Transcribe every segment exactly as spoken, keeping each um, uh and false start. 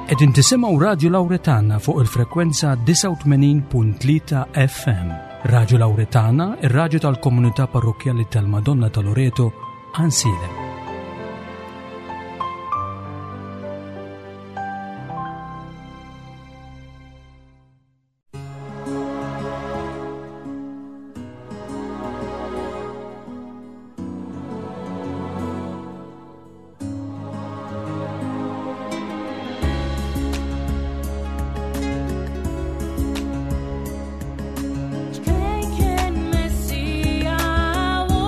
Qegħdin tisimgħu Radio Lauretana fuq il-frekwenza disgħa u tmenin punt tlieta F M. Radio Lauretana, ir-radju tal-Komunità Parrokkjali tal-Madonna ta' Loreto, Għajnsielem. Ċkejken Messija u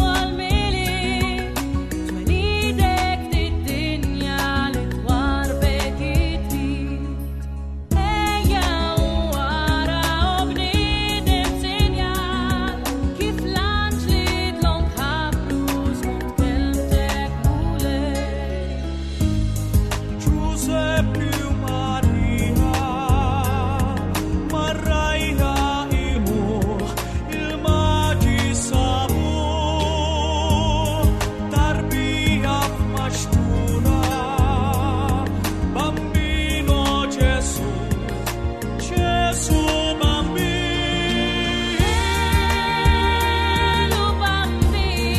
għal-Milied, twelidek fid-dinja li twarbek it-trid. Ejja u ara o bniedem sinjal, kif l-anġli dlonk ħabbru skont kelmtek Mulej. Giuseppe u Maria mar-rgħajja qimuh, il-maġi sabuh, tarbija f'maxtura, Bambino Gesù, Gesù Bambino. Elu bambin,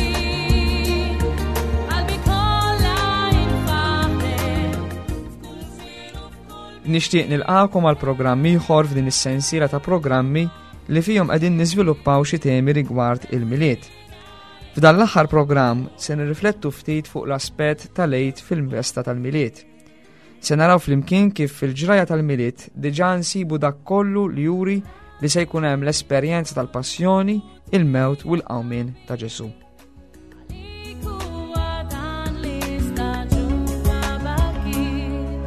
qalbi kollha infaħret, f'kull żmien u f'kull Nixtieq nilqakom għal programm ieħor f'din is-sensiela ta' programmi li fihom qegħdin niżviluppaw xi temi rigward il-Milied. F'dan l-aħħar programm se nirriflettu ftit fuq l-aspett tal-Għid fil-festa tal-Milied. Se naraw flimkien kif fil-ġraja tal-Milied diġà nsibu dak kollu li juri li se jkun hemm l-esperjenza tal-passjoni, il-mewt u l-qawmien ta' Ġesù. Għalik huwa dan l-istaġun ta' bakit,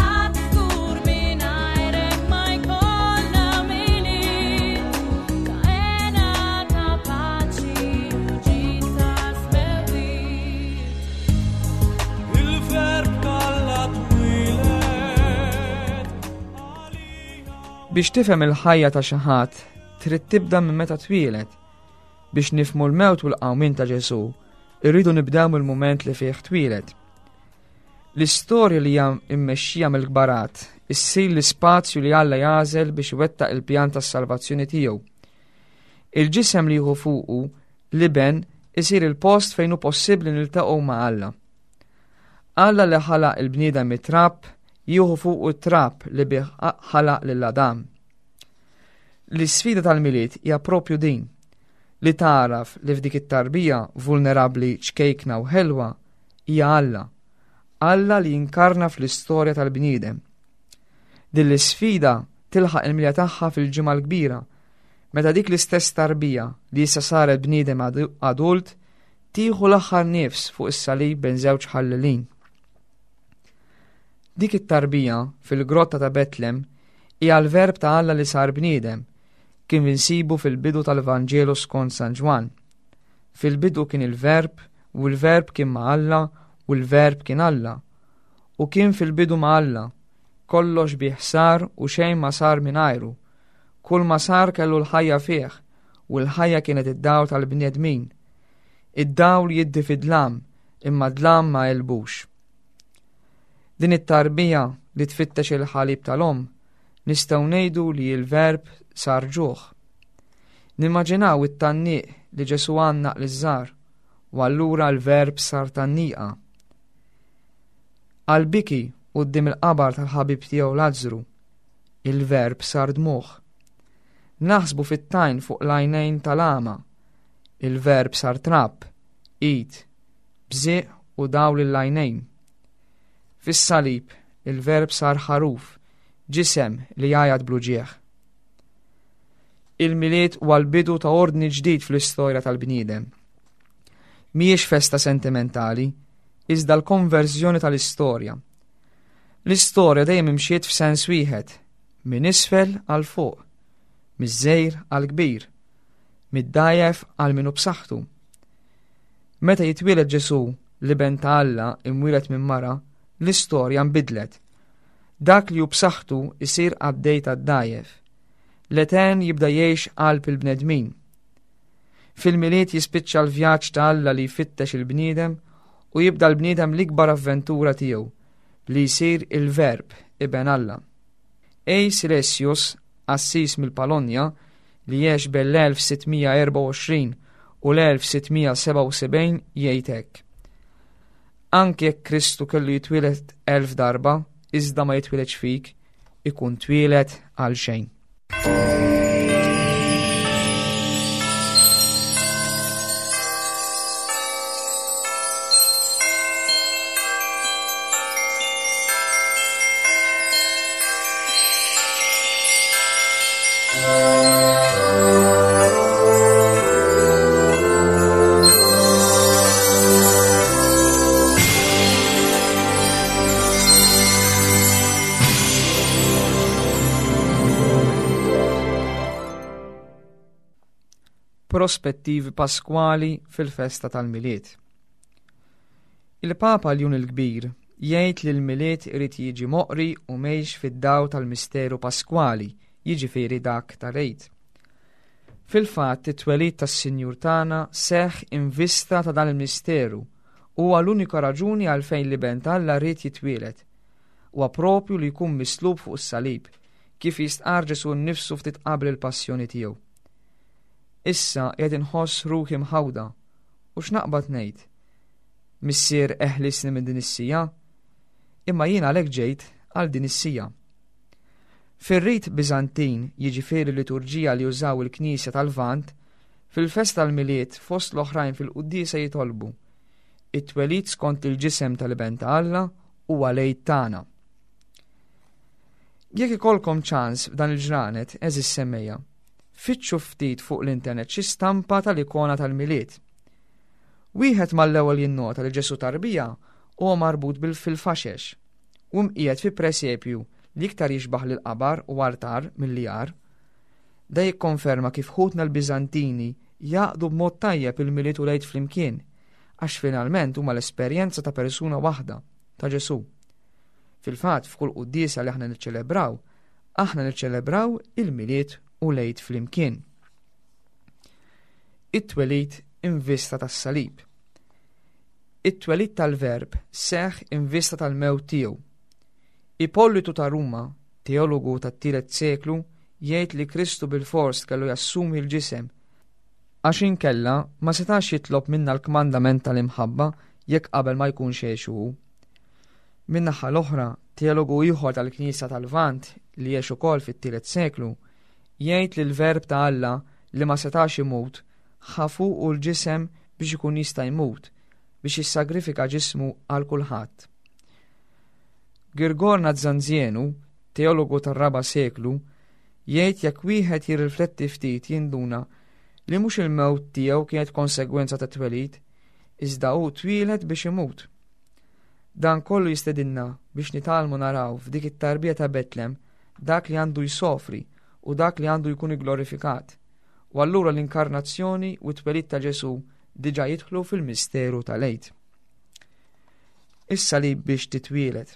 għad żgur mingħajrek ma jkollna Milied, ta' hena, ta' paċi u ġid ta' smewwiet. Il-Verb t'Alla twieled. Biex tifhem il-ħajja ta' xi ħadd, trid tibda minn meta twieled. Biex nifhmu l-mewt u l-qawmien ta' Ġesù, irridu nibdew mill-mument li fih twieled. L-istorja li hija mmexxija mill-kbarat issir l-ispazju li Alla jagħżel biex iwettaq il-pjan tas-salvazzjoni tiegħu. Il-ġisem li jieħu fuqu l-iben isir il-post fejn hu possibbli niltaqgħu ma' Alla. Alla li ħalaq il-bniedem mit-trab jieħu fuqu t-trab li bih ħalaq lil Adam. L-isfida tal-Milied hija propju din, li tagħraf li f'dik it-tarbija vulnerabbli, ċkejkna u ħelwa hija Alla. Alla li jinkarna fl-istorja tal-bniedem. Din l-isfida tilħaq il-milja tagħha fil-Ġimgħa l-Kbira, meta dik l-istess tarbija li issa saret bniedem adu- adult tieħu l-aħħar nifs fuq is-salib bejn żewġ ħallelin. Dik it-tarbija fil-grotta ta' Betlem hija l-Verb ta' Alla li sar bniedem, kif insibu fil-bidu tal-Vanġelu skont San Ġwann. Fil-bidu kien il-Verb, u l-Verb kien ma' Alla, u l-Verb kien Alla. U kien fil-bidu ma' Alla, kollox bih sar u xejn ma sar mingħajru. Kull ma sar kellu l-ħajja fih, u l-ħajja kienet id-dawl tal-bnedmin. Id-dawl jiddi fid-dlam, imma d-dlam ma għelbux. Din it-tarbija li tfittex il-ħalib tal-om, nistgħu ngħidu li l-Verb sar ġuħ. Nimmaġinaw it-tgħanniq li Ġesù għannaq liż-żgħar, u allura l-Verb sar tgħanniqa. Għal-biki quddiem il-qabar tal-ħabib tiegħu Lazzru, il-Verb sar dmugħ. Naħsbu fit-tajn fuq l-għajnejn tal-għama, il-Verb sar trab, id, bżieq u dawl l-għajnejn. Fis-salib, il-Verb sar ħaruf, ġisem li jgħajjat bl-uġigħ. Il-Milied huwa l-bidu ta' ordni ġdid fl-istorja tal-bniedem. Mhijiex festa sentimentali, iżda l-konverżjoni tal-istorja. L-istorja dejjem imxiet f'sens wieħed, minn isfel għal fuq, miż-żgħir għal kbir, mid-dgħajjef għal min hu b'saħħtu. Meta jitwieled Ġesù, l-iben ta' Alla imwieled minn mara, l-istorja nbidlet. Dak li hu b'saħħtu isir qaddej tad-dgħajjef. L-Etern jibda jgħix qalb il-bnedmin. Fil-Milied jispiċċa l-vjaġġ ta' Alla li jfittex il-bniedem u jibda l-bniedem l-ikbar avventura tiegħu, li jsir il-Verb, Iben Alla. A. Silesius, qassis mill-Polonja, li għex bejn l-elf sitt mija erbgħa u għoxrin u l-elf sitt mija sebgħa u sebgħin jgħid hekk: Anke jekk Kristu kellu jitwieled elf darba, iżda ma jitwieledx fik, ikun twieled għal xejn. Prospettivi paskwali fil-festa tal-Milied. Il-Papa Ljun il-Kbir jgħid li l-Milied irid jiġi moqri u mgħix fid-daw tal-misteru paskwali, jiġifieri dak tal-Għid. Fil-fatt, it-twelid tas-Sinjur tagħna seħħ in vista ta' dan il-misteru u huwa l-unika raġuni għalfejn l-Iben t'Alla ried jitwieled. Huwa propju li jkun mislub fuq is-salib, kif jistqarr Ġesù nnifsu ftit qabel il-passjoni tiegħu. Issa qiegħed inħoss ruħi mħawda u x'naqbad ngħid? Missier, eħlisni minn din is-siegħa, imma jien għalhekk ġejt għal din is-siegħa. Fir-rit Biżantin, jiġifieri liturġija li jużaw il-Knisja tal-Lvant, fil-festa tal-Milied fost l-oħrajn fil-quddiesa jitolbu: It-twelid skont il-ġisem tal-Iben ta' Alla huwa l-Għid tagħna. Jekk ikollkom ċans f'dan il-ġranet, għeżież semmiegħa, fittxu ftit fuq l-internet xi stampa tal-ikona tal-Milied. Wieħed mal-ewwel jinnota li Ġesù tarbija huwa marbut bil-fil-faxex u mqiegħed fi presepju li iktar jixbaħ lil qabar u altar milli għar. Da jikkonferma kif ħutna l-Biżantini jaqdu b'mod tajjeb il-Milied u l-Għid flimkien, għax finalment huma l-esperjenza ta' persuna waħda, ta' Ġesù. Fil-fatt, f'kull quddiesa li aħna niċċelebraw, aħna niċċelebraw il-Milied u l-Għid flimkien. It-twelid in vista tas-salib. It-twelid tal-Verb seħħ in vista tal-mewt tiegħu. Ippolitu ta' Ruma, teologu tat-tielet seklu, jgħid li Kristu bil-fors kellu jassumi l-ġisem, għax inkella ma setax jitlob minna l-kmandament tal-imħabba jekk qabel ma jkunx għexu hu. Min-naħa l-oħra, teologu ieħor tal-Knisja tal-Lvant li għex ukoll fit-tielet seklu, jgħid li l-Verb ta' Alla li ma setax imut ħa fuqu l-ġisem biex ikun jista' jmut, biex jissagrifika ġismu għal kulħadd. Girgor Nazzanzienu, teologu tar-raba' seklu, jgħid jekk wieħed jirrifletti ftit jinduna li mhux il-mewt tiegħu kienet konsegwenza ta' twelid, iżda hu twieled biex imut. Dan kollu jistedinna biex nitgħallmu naraw f'dik it-tarbija ta' Betlem dak li għandu jsofri u dak li għandu jkun igglorifikat. U allura l-inkarnazzjoni u t-twelid ta' Ġesù diġà jidħlu fil-misteru tal-Għid. Issa li biex titwieled.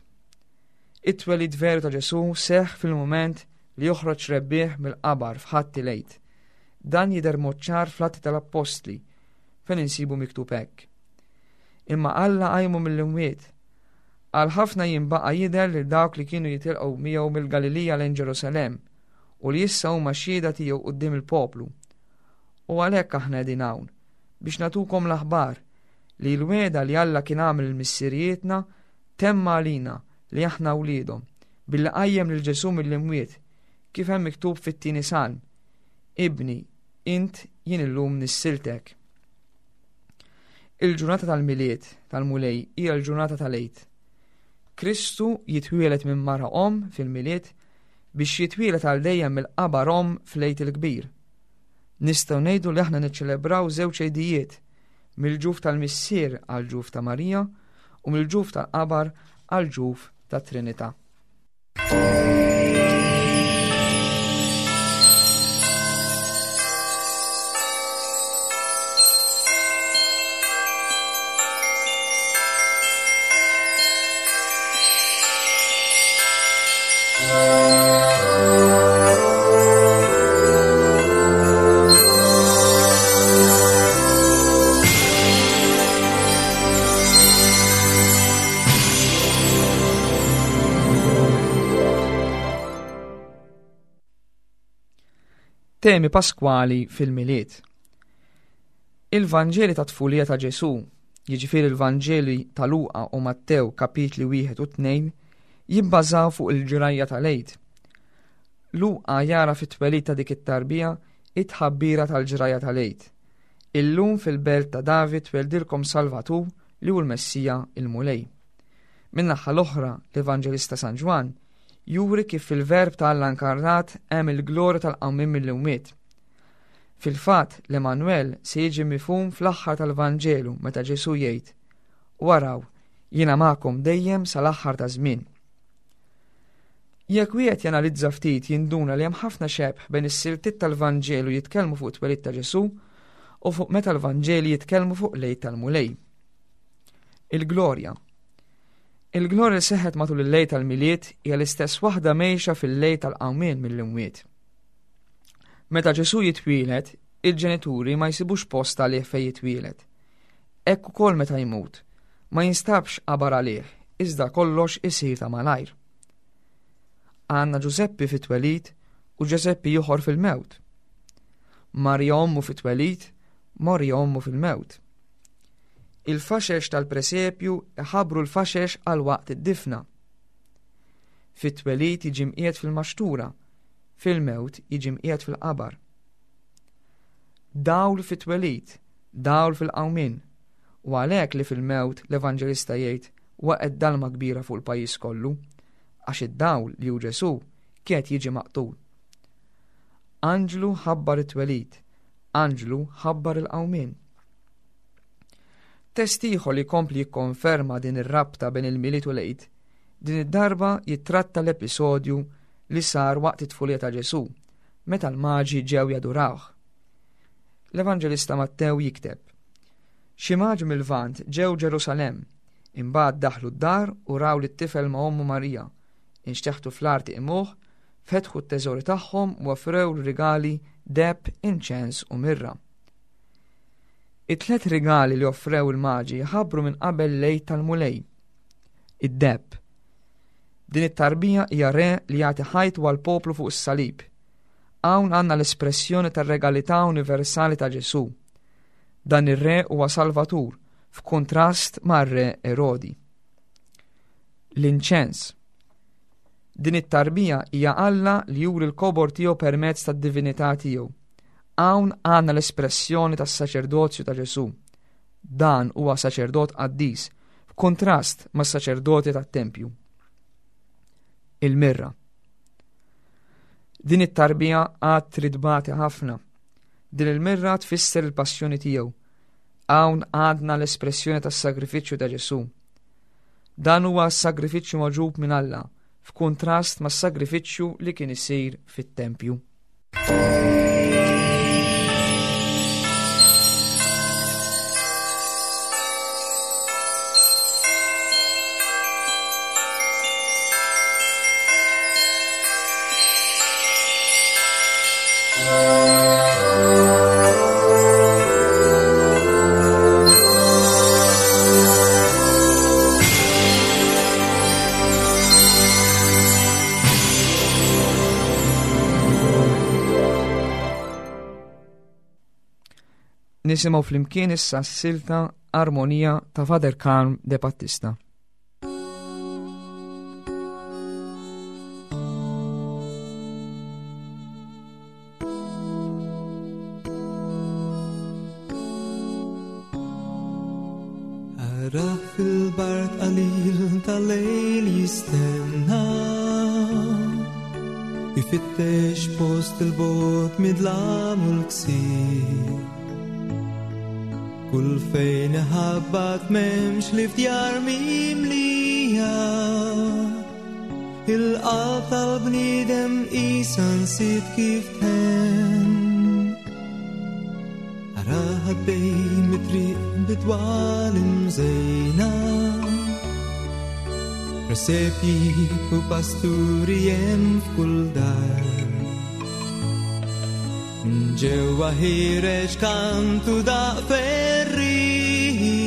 It-twelid veru ta' Ġesù seħħ fil-mument li joħroġ rebbieħ mill-qabar f'Ħadd il-Għid. Dan jidher mod ċar fl-Atti tal-Appostli, fejn insibu miktub hekk: Imma Alla qajmu mill-imwiet. Għal ħafna jiem baqa' jidher lil dawk li kienu jitilqgħu miegħu mill-Galilija lejn Ġerusalemm u li issa huma xhieda tiegħu quddiem il-poplu. U għalhekk aħna qegħdin hawn biex nagħtukom l-aħbar li l-wegħda li Alla kien għamel il-missirijietna temma għalina li aħna wliedhom billi qajjem lil Ġesù mill-imwiet, kif hemm miktub fit-tieni salm: Ibni, int jien illum nissiltek. Il-ġurnata tal-Milied tal-Mulej hija l-ġurnata tal-Għid. Kristu jitwieled minn mara omm fil-Milied biex jitwieled għal dejjem mill-qabar omm fl-Għid il-Kbir. Nistgħu ngħidu li aħna niċċelebraw żewġ għidijiet, mill-ġuf tal-Missier għal ġuf ta' Marija u mill-ġuf tal-qabar għal ġuf ta' Trinità. Temi paskwali fil-Milied. Il-Vanġeli ta' tfulija ta' Ġesù, jiġifieri il-Vanġeli ta' Luqa u Mattew kapitli wieħed u tnejn, jibbażaw fuq il-ġrajja tal-Għid. Luqa jara fit-twelid ta' dik it-tarbija it-tħabbira tal-ġrajja tal-Għid. Illum fil-belt ta' David tweldilkom Salvatur li hu l-Messija il-Mulej. Min-naħa l-oħra, l-Evanġelista San Ġwann juri kif fil-verb ta' Alla inkarnat hemm il-glorja tal-qawmien mill-imwiet. Fil-fatt, l-Emanuel se jiġi mifhum fl-aħħar tal-Vanġelu meta Ġesù jgħid: Waraw, jiena magħkom dejjem sal-aħħar ta' żmien. Jekk wieħed janalizza ftit jinduna li hemm ħafna xebh bejn is-siltiet tal-Vanġelu jitkellmu fuq it-twelid ta' Ġesù u fuq meta l-Vanġeli jitkellmu fuq l-Għid tal-Mulej. Il-glorja. Il-glorja li seħħet matul il-lejl tal-Milied hija l-istess waħda mgħejxa fil-lejl tal-qawmien mill-imwiet. Meta Ġesù jitwieled, il-ġenituri ma jsibux post għalih fejn jitwieled. Hekk ukoll meta jmut, ma jinstabx qabar għalih, iżda kollox isir ta' malajr. Għandna Ġużeppi fit-twelid u Ġużeppi ieħor fil-mewt. Marija ommu fit-twelid, Marija ommu fil-mewt. Il-faxex tal-presepju iħabbru l-faxex għal waqt id-difna. Fit-twelid jiġi mqiegħed fil-maxtura, fil-mewt jiġi mqiegħed fil-qabar. Dawl fit-twelid, dawl fil-qawmien, u għalhekk li fil-mewt l-Evanġelista jgħid waqgħet dalma kbira fuq il-pajjiż kollu, għax id-dawl li hu Ġesù kien jiġi maqtul. Anġlu ħabbar it-twelid, anġlu ħabbar il-qawmien. Test ieħor li jkompli jikkonferma din ir-rabta bejn il-Milied u l-Għid, din id-darba jittratta l-episodju li sar waqt it-tfulija ta' Ġesù, meta l-maġi ġew jadurawh. L-Evanġelista Mattew jikteb: Xi maġi mill-Lvant ġew Ġerusalemm, imbagħad daħlu d-dar u raw lit-tifel ma' ommu Marija, inxteħtu fl-art imuh, fetħu t-teżori tagħhom u offrew rigali deheb, inċens u mirra. It-tlet rigali li offrew il-maġi ħabbru minn qabel l-Għid tal-Mulej. Id-deheb. Din it-tarbija hija re li jagħti ħajtu għall-poplu fuq is-salib. Hawn għandna l-espressjoni tar-regalità universali ta' Ġesù. Dan ir-re huwa Salvatur, f'kuntrast mar-re Erodi. L-inċens. Din it-tarbija hija Alla li juri l-kobor tiegħu permezz tad-divinità tiegħu. Hawn għandna l-espressjoni tas-saċerdozju ta' Ġesù. Dan huwa saċerdot qaddis, f'kuntrast mas-saċerdoti tat-tempju. Il-mirra. Din it-tarbija għad trid tbati ħafna. Din il-mirra tfisser il-passjoni tiegħu. Hawn għandna l-espressjoni tas-sagrifiċċju ta' Ġesù. Dan huwa s-sagrifiċċju magħġub minn Alla, f'kuntrast mas-sagrifiċċju li kien isir fit-tempju. Nisimgħu flimkien issa s-silta Armonija ta' Father Karm De Battista. Ara fil-bart qalil tal-lejl jistenna, ifittex post il-bot midlam u l-ksir. Kull fejn iħabbat m'hemmx li fdjar mimlija, il-qalb tal-bniedem qisha nsiet kif tħenn. Ara ħaddej mit-triq bidwal imżejna, presepji u pasturi hemm f'kull dar. Ġewwa ħireġ kantu daq ferriħi,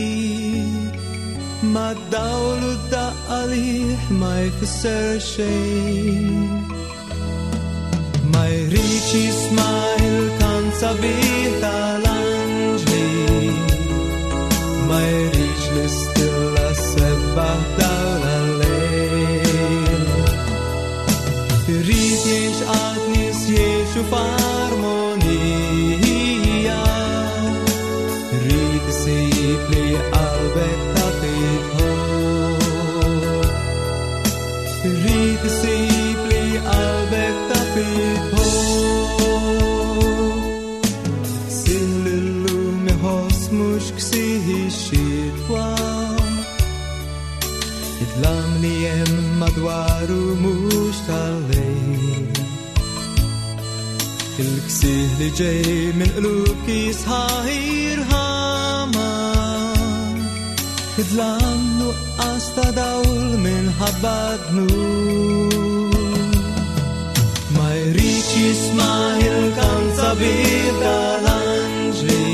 ma d-dawl u d-daqqa għalih ma jfisser xejn. Ma jridx jisma' sabiħ tal-anġli, ma jridx l-istilla sebbaħ dawl għal-lejl. Irrid jgħix għad nies jgħixu f'armonija, irrid isib li qalbek taf itħobb, irrid isib li qalbek taf itħobb. Ksih l-lum iħoss mhux ksih ix-xitwa, id-dlam li hemm madwaru mhux tal-lejl. Il-ksih li ġej minn qlub kisħa irħama, id-dlam nuqqas ta' dawl minħabba dnub. Ma jridx jisma' il-kant sabiħ tal-anġli,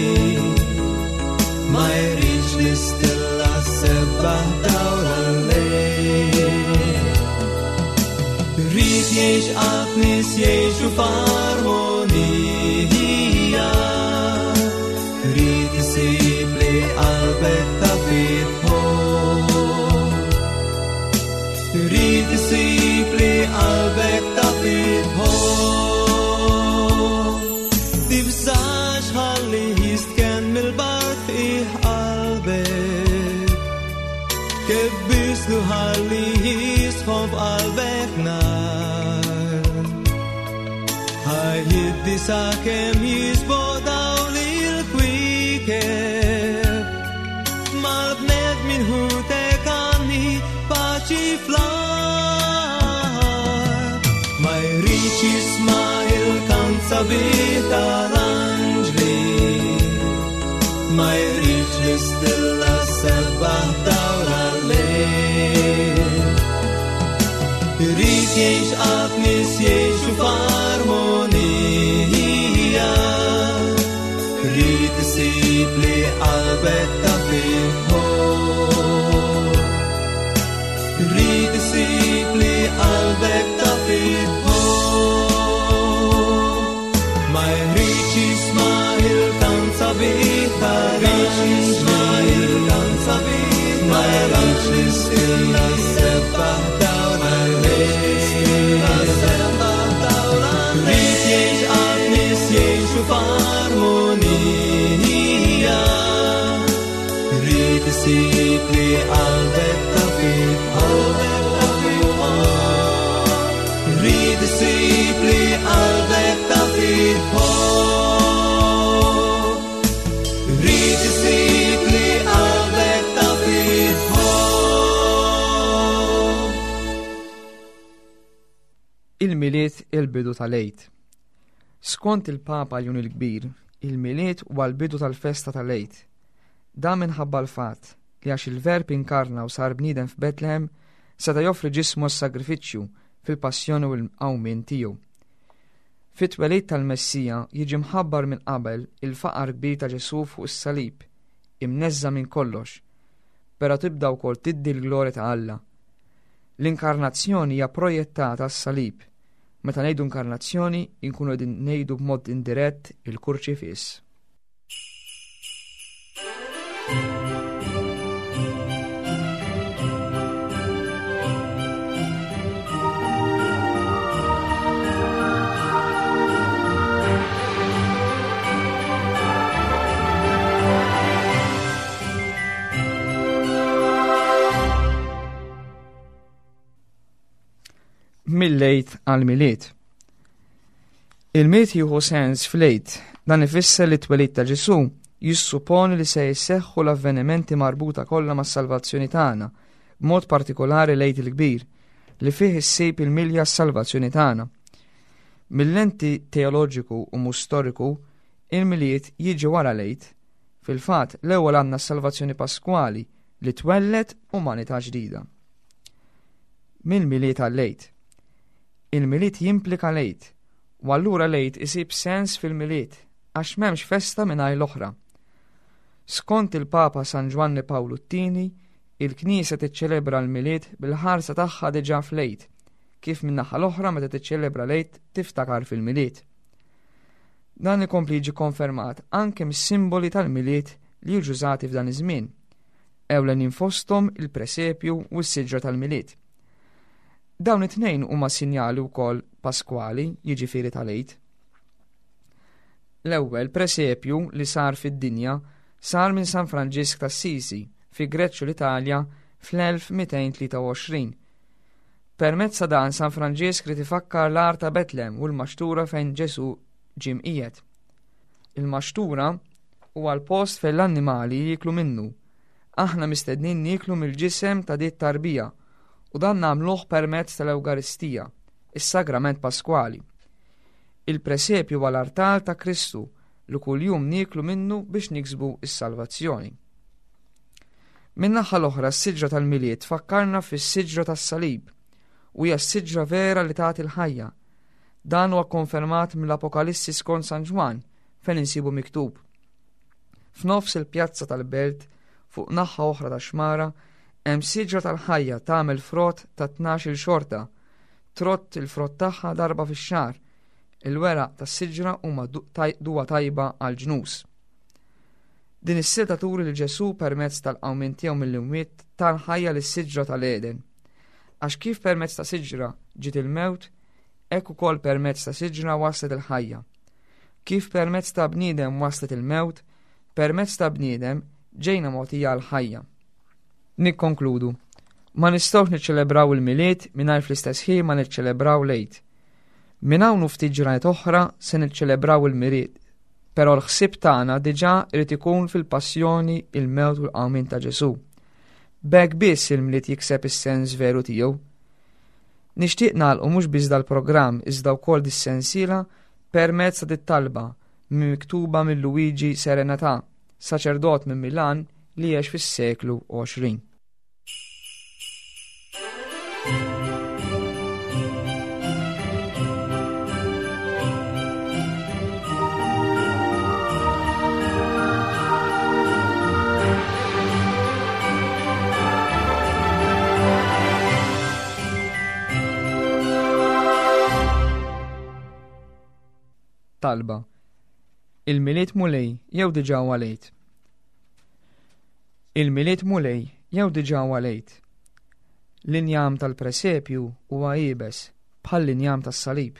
ma jridx l-istilla sebbaħ dawl għal-lejl. Irrid jgħix għad nies jgħixu f'armonija, irrid isib li qalbek taf itħobb, irrid isib li qalbek taf itħobb. Tibżax ħalli jistkenn mill-bard fih qalbek, kebbislu ħalli jisħon f'qalbek nar. Ħajjiddi sakemm jisboq dawl il-kwiekeb, mal-bnedmin ħutek għanni paċi fl-art. Ma jridx jisma' il-kant sabiħ tal-anġli, ma jridx l-istilla sebbaħ dawl għal-lejl. Irrid jgħix għad nies jgħixu f'armonija, irrid isib li qalbek taf itħobb, irrid isib li qalbek taf itħobb. Ma jridx jisma' il-kant sabiħ tal-anġli, ma jridx l-istilla sebbaħ dawl għal-lejl. Irrid jgħix għad nies jgħixu f'armonija, irrid isib li qalbek taf itħobb, irrid isib li qalbek taf itħobb, irrid isib li qalbek taf itħobb. Il-Milied il-bidu tal-Għid. Skont il-Papa Ljun il-Kbir, il-Milied huwa l-bidu tal-festa tal-Għid. Dan minħabba l-fatt li għax il-Verb inkarna u sar bniedem f'Betlehem, seta' joffri ġismu għas-sagrifiċċju fil-passjoni u l-qawmien tiegħu. Fit-twelid tal-Messija jiġi mħabbar minn qabel il-faqar kbir ta' Ġesù fuq is-salib, imneżża minn kollox, però tibda wkoll tiddi l-glorja ta' Alla. L-inkarnazzjoni hija projettata għas-salib. Meta ngħidu inkarnazzjoni, inkunu qegħdin ngħidu b'mod indirett il-kurċifiss. Mill-Għid għal-Milied. Il-Milied jieħu sens fl-Għid, dan ifisser li t-twelid ta' Ġesù jissuponi li se jseħħu l-avvenimenti marbuta kollha mas-salvazzjoni tagħna, b'mod partikolari l-Għid il-Kbir, li fih issib il-milja s-salvazzjoni tagħna. Mill-lenti teoloġiku u mhux storiku, il-Milied jiġi wara l-Għid. Fil-fatt, l-ewwel għandna s-salvazzjoni paskwali li twelled umanità ġdida. Mill-Milied għall-Għid. Il-Milied jimplika l-Għid, u allura l-Għid isib sens fil-Milied, għax m'hemmx festa mingħajr l-oħra. Skont il-Papa San Ġwanni Pawlu t-Tieni, il-Knisja tiċċelebra l-Milied bil-ħarsa tagħha diġà fl-Għid, kif min-naħa l-oħra meta tiċċelebra l-Għid tiftakar fil-Milied. Dan ikompli jiġi konfermat anke mis-simboli tal-Milied li jiġu użati f'dan iż-żmien. Ewlenin fosthom il-presepju u s-siġra tal-Milied. Dawn it-tnejn huma sinjali wkoll paskwali, jiġifieri tal-Għid. L-ewwel presepju li sar fid-dinja sar minn San Franġisk t'Assisi fi Greċċu l-Italja fl-elf mitejn tlieta u għoxrin. Permezz ta' dan San Franġisk ried ifakkar l-għar ta' Betlem u l-maxtura fejn Ġesu ġie mqiegħed. Il-maxtura huwa l-post fejn l-annimali jieklu minnu. Aħna mistednin nieklu mill-ġisem ta' dit tarbija u dan nagħmluh permezz tal-Ewkaristija, is-Sagrament Paskwali. Il-presepju huwa l-artal ta' Kristu li kuljum nieklu minnu biex niksbu s-salvazzjoni. Min-naħa l-oħra s-siġra tal-Milied tfakkarna fis-siġra tas-salib u hija s-siġra vera li tagħti l-ħajja. Dan huwa konfermat mill-Apokalissi skont San Ġwann fejn insibu miktub. F'nofs il-pjazza tal-belt, fuq naħa oħra ta' xmara, hemm siġra tal-ħajja tagħmel frott ta' tnax-il xorta, trott il-frott tagħha darba fix-xahar. Il-weraq tas-siġra huma du-, taj-, duwa tajba għall-ġnus. Din is-silta turi li Ġesu permezz tal-qawmien tiegħu mill-imwiet tal-ħajja lis-siġra tal-Eden. Għax kif permezz ta' siġra ġiet il-mewt, hekk ukoll permezz ta' siġra waslet il-ħajja. Kif permezz ta' bniedem waslet il-mewt, permezz ta' bniedem ġejna mogħtija l-ħajja. Nikkonkludu. Ma nistgħux niċċelebraw il-Milied mingħajr fl-istess ħin ma niċċelebraw l-Għid. Minn hawn u ftit ġranet oħra se niċċelebraw il-Milied, però l-ħsieb tagħna diġà irid ikun fil-passjoni, il-mewt u l-qawmien ta' Ġesù. B'hekk biss il-Milied jikseb is-sens veru tiegħu. Nixtieq nagħlqu mhux biss dal-programm iżda wkoll dis-sensiela permezz ta' dit-talba miktuba minn Luigi Serenatà, saċerdot minn Milan li għex fis-seklu għoxrin. Talba. Il-Milied Mulej jew diġà huwa lejt. Il-Milied Mulej jew diġà huwa lejt. L-injam tal-presepju huwa iebes bħall-injam tas-salib.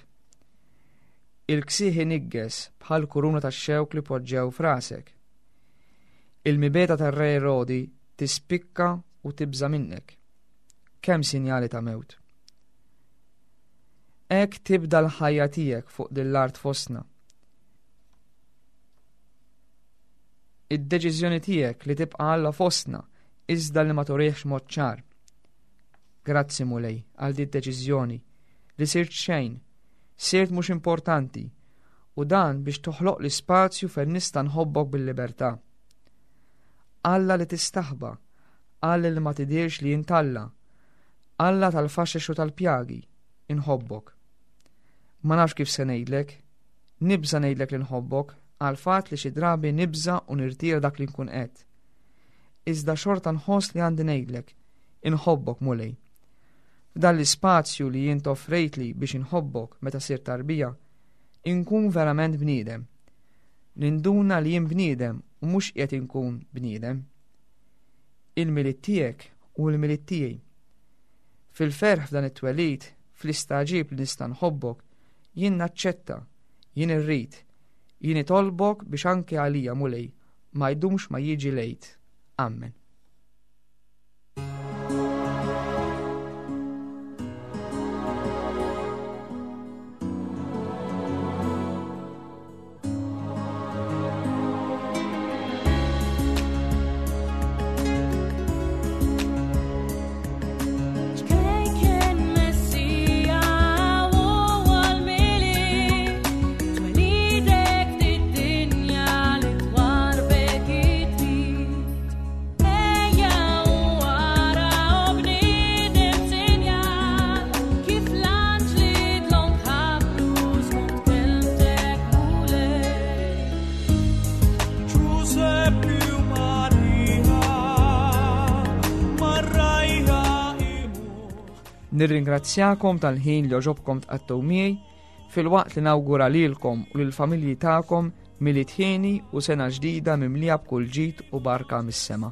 Il-ksieħ inigges bħal kuruna tax-xewk li poġġew frasek. Il-mibeta tar-re Erodi tispikka u tibża' minnek. Kemm sinjali ta' mewt. Hekk tibda l-ħajja tiegħek fuq din l-art fostna. Id-deċiżjoni tiegħek li tibqa' Alla fostna iżda li ma turihx mod ċar. Grazzi Mulej għal din id-deċiżjoni li sirt xejn, sirt mhux importanti, u dan biex toħloq li spazju fejn nista' nħobbok bil-libertà. Alla li tistaħba, Alla li ma tidhirx li int Alla, Alla tal-faxex u tal-pjagi, inħobbok. Ma nafx kif se ngħidlek, nibża' ngħidlek li nħobbok għal fatt li xi drabi nibża' u nirtira dak li nkun qed. Iżda xorta nħoss li għandi ngħidlek, inħobbok Mulej. F'dan l-ispazju li jien toffrejtli biex inħobbok meta sirt tarbija, inkun verament bniedem. Ninduna li jien bniedem u mhux qiegħed inkun bniedem. Il-Milied tiegħek u l-Milied tiegħi. Fil-ferħ f'dan it-twelid, fl-istaġib li nista' nħobbok, jien naċċetta, jien irrid, jien itolbok biex anke għalija Mulej ma jdumx ma jiġi lejt. Amen. Nirringrazzjakom tal-ħin li għoġobkom tqattgħu miegħi Filwaqt li nawgura lilkom u lill-familji tagħkom Milied hieni u sena ġdida mimlija b'kull ġid u barka mis-sema.